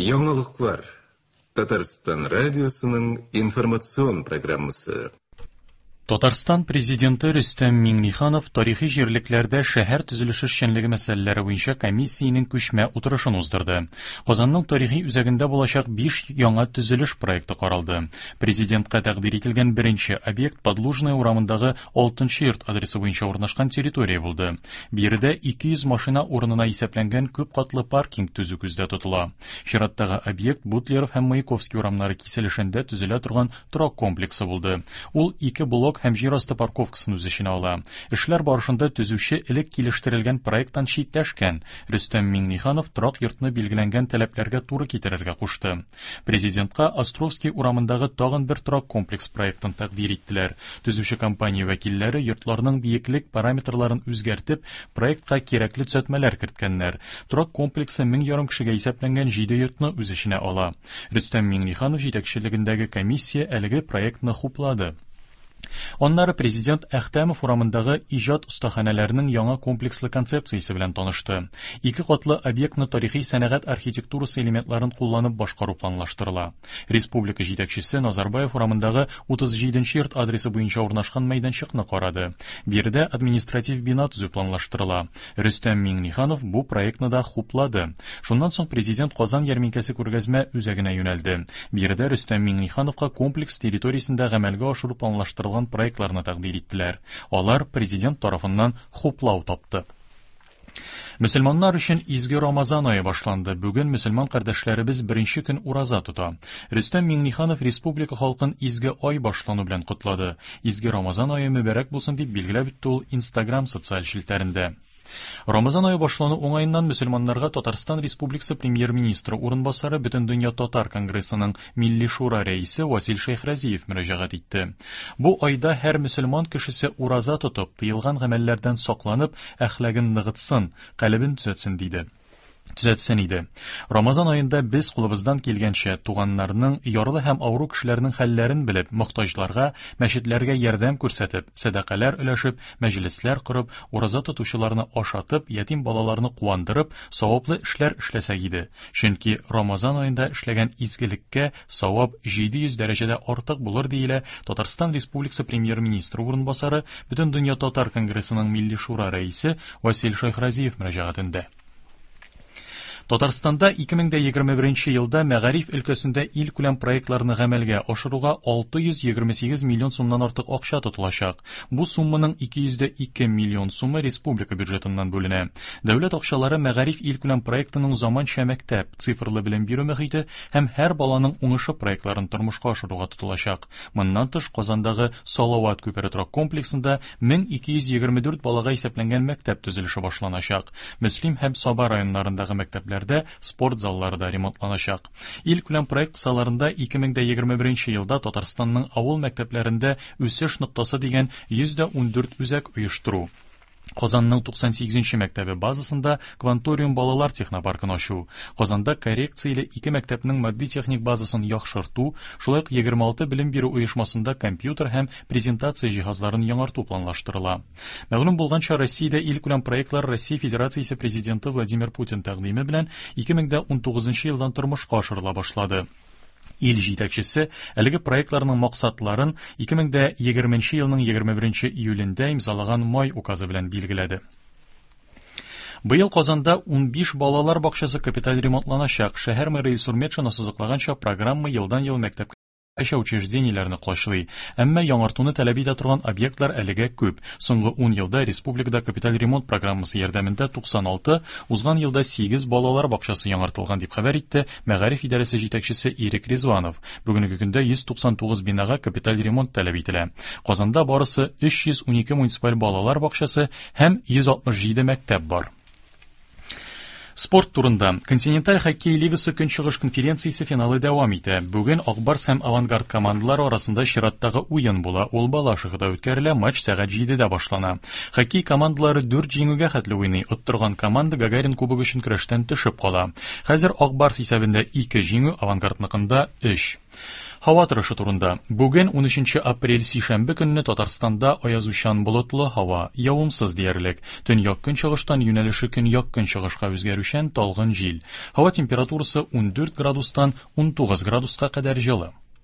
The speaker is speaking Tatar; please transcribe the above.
Яңалыклар. Татарстан радиосының информацион программасы. Татарстан Президенты Рөстәм Миңнеханов тарихи җирлекләрдә шәһәр төзелеше эшчәнлеге мәсьәләләре буенча комиссиянең күчмә утырышын уздырды. Казанның тарихи үзәгендә булачак 5 яңа төзелеш проекты каралды. Президентка тәкъдир ителгән беренче объект Подлужная урамындагы 6 нчы йорт адресы буенча урнашкан территория булды. Биредә 200 машина урынына исәпләнгән күп катлы паркинг төзү күздә тотыла. Чираттагы объект Бутлеров һәм Маяковский урамнары киселешендә төзелә торган торак комплексы булды. Ул ике блок һәм җир асты парковкасын үз эченә ала. Эшләр барышында төзүче элек килештерелгән проекттан читләшкән. Рөстәм Миңнеханов торак йортны билгеләнгән таләпләргә туры китерергә кушты. Президентка Островский урамындагы тагын бер торак комплекс проектын тәкъдир иттеләр. Төзүче компания вәкилләре йортларның биеклек параметрларын үзгәртеп, проектка кирәкле төзәтмәләр керткәннәр. Торак комплексы 1500 кешегә исәпләнгән җиде йортны үз эченә ала. Рөстәм Миңнеханов җитәкчелегендәге комиссия әлеге проектны хуплады. Аннары президент Әхтәмов урамындагы иҗат остаханәләренең яңа комплекслы концепциясе белән танышты. Ике катлы объектны тарихи сәнәгать архитектурасы элементларын кулланып башкару планлаштырыла. Республика җитәкчесе Назарбаев урамындагы 37 нче йорт адресы буенча урнашкан мәйданчыкны карады. Биредә административ бина төзү планлаштырыла. Рөстәм Миңнеханов бу проектны да хуплады. Шуннан соң президент Казан ярминкәсе күргәзмә үзәгенә юнәлде. Биредә Рөстәм Миңнехановка комплекс территориясендә гамәлгә ашыру планлаштырылган проектларны тәкъдир иттеләр. Алар президент тарафыннан хуплау тапты. Мөселманнар өчен изге Рамазан ае башланды. Бүген мөселман кардәшләребез беренче көн ураза тота. Рөстәм Миңнеханов республика халкын изге ай башлану белән котлады. Изге Рамазан ае мөбарәк булсын, дип билгеләп үтте ул Инстаграм социаль челтәрендә. Рамазан ае башлану уңаеннан мөселманнарга Татарстан Республикасы Премьер-министры урынбасары, Бөтендөнья татар конгрессының Милли шура рәисе Васил Шәйхразиев мөрәҗәгать итте. Бу айда һәр мөселман кешесе ураза тотып, тыелган гамәлләрдән сакланып, әхлагын ныгытсын, калебен төзәтсен, диде. Төзәтсен иде. Рамазан аенда без кулыбыздан килгәнчә туганнарның, ярлы һәм авыру кешеләрнең хәлләрен белеп, мохтаҗларга, мәчетләргә ярдәм күрсәтеп, сәдакалар өләшеп, мәҗлесләр корып, ураза тотучыларны ашатып, ятим балаларны куандырып, саваплы эшләр эшләсәк иде. Чөнки Рамазан аенда эшләгән изгелеккә савап 700 дәрәҗәдә артык булыр, диелә Татарстан Республикасы Премьер-министры урынбасары, Бөтендөнья татар конгрессының Милли шура рәисе Васил Шәйхразиев мөрәҗәгатендә. Татарстанда 2021 елда мәгариф өлкәсендә илкүләм проектларны гамәлгә ашыруга 628 миллион сумнан артык акча тотылачак. Бу сумманың 202 миллион сумы республика бюджетыннан бүленә. Дәүләт акчалары мәгариф илкүләм проектының заманча мәктәп, цифрлы белем бирү мөхите һәм һәр баланың уңышы проектларын тормышка ашыруга тотылачак. Моннан тыш, Казандагы Салават күпере торак комплексында 1224 балага исәпләнгән мәктәп төзелеше башланачак. Мөслим һәм Саба районнарындагы мәктәпләрдә спорт заллары да ремонтланачак. Илкүләм проект кысаларында 2021 елда Татарстанның авыл мәктәпләрендә Үсеш ноктасы дигән 114 үзәк оештыру, Казанның 98 нче мәктәбе базасында Кванториум балалар технопаркын ачу, Казанда коррекцияле ике мәктәпнең матди-техник базасын яхшырту, шулай ук 26 белем бирү оешмасында компьютер һәм презентация җиһазларын яңарту планлаштырыла. Мәгълүм булганча, Россиядә илкүләм проектлар Россия Федерациясе Президенты Владимир Путин тәкъдиме белән 2019 елдан тормышка ашырыла башлады. Ил җитәкчесе әлеге проектларның максатларын 2020 елның 21 июлендә имзалаган май указы белән билгеләде. Быел Казанда 15 балалар бакчасы капиталь ремонтланачак. Шәһәр мэры Илсур Метшин ассызыклаганча, программа елдан-ел мәктәпкәчә учреждениеләрне колачлый. Әмма яңартуны таләп итә торган объектлар әлегә күп. Соңгы ун елда республикада капиталь ремонт программасы ярдәмендә 96, узган елда 8 балалар бакчасы яңартылган, дип хәбәр итте Мәгариф идарәсе җитәкчесе Ирек Ризванов. Бүгенге көндә 199 бинага капиталь ремонт таләп ителә. Казанда барысы 312 муниципаль балалар бакчасы һәм 167 мәктәп бар. Спорт турында. Континенталь хоккей лигасы Көнчыгыш конференциясе финалы дәвам итә. Бүген Акбарс һәм Авангард командалары арасында чираттагы уен була. Ул Балашихада үткәрелә, матч сәгать 7-дә башлана. Хоккей командалары дүрт җиңүгә хәтле уйный. Оттырган команда Гагарин кубогы өчен көрәштән төшеп кала. Хәзер Ак Барс исәбендә ике җиңү, Авангардныкында өч. Һава торышы турында. Бүген, 13 апрель, сишәмбе көнне Татарстанда аязучан болытлы һава, явымсыз диярлек. Төньяк-көнчыгыштан юнәлеше көньяк-көнчыгышка үзгәрүчән талгын җил. Һава температурасы 14 градустан 19 градуска кадәр җылы.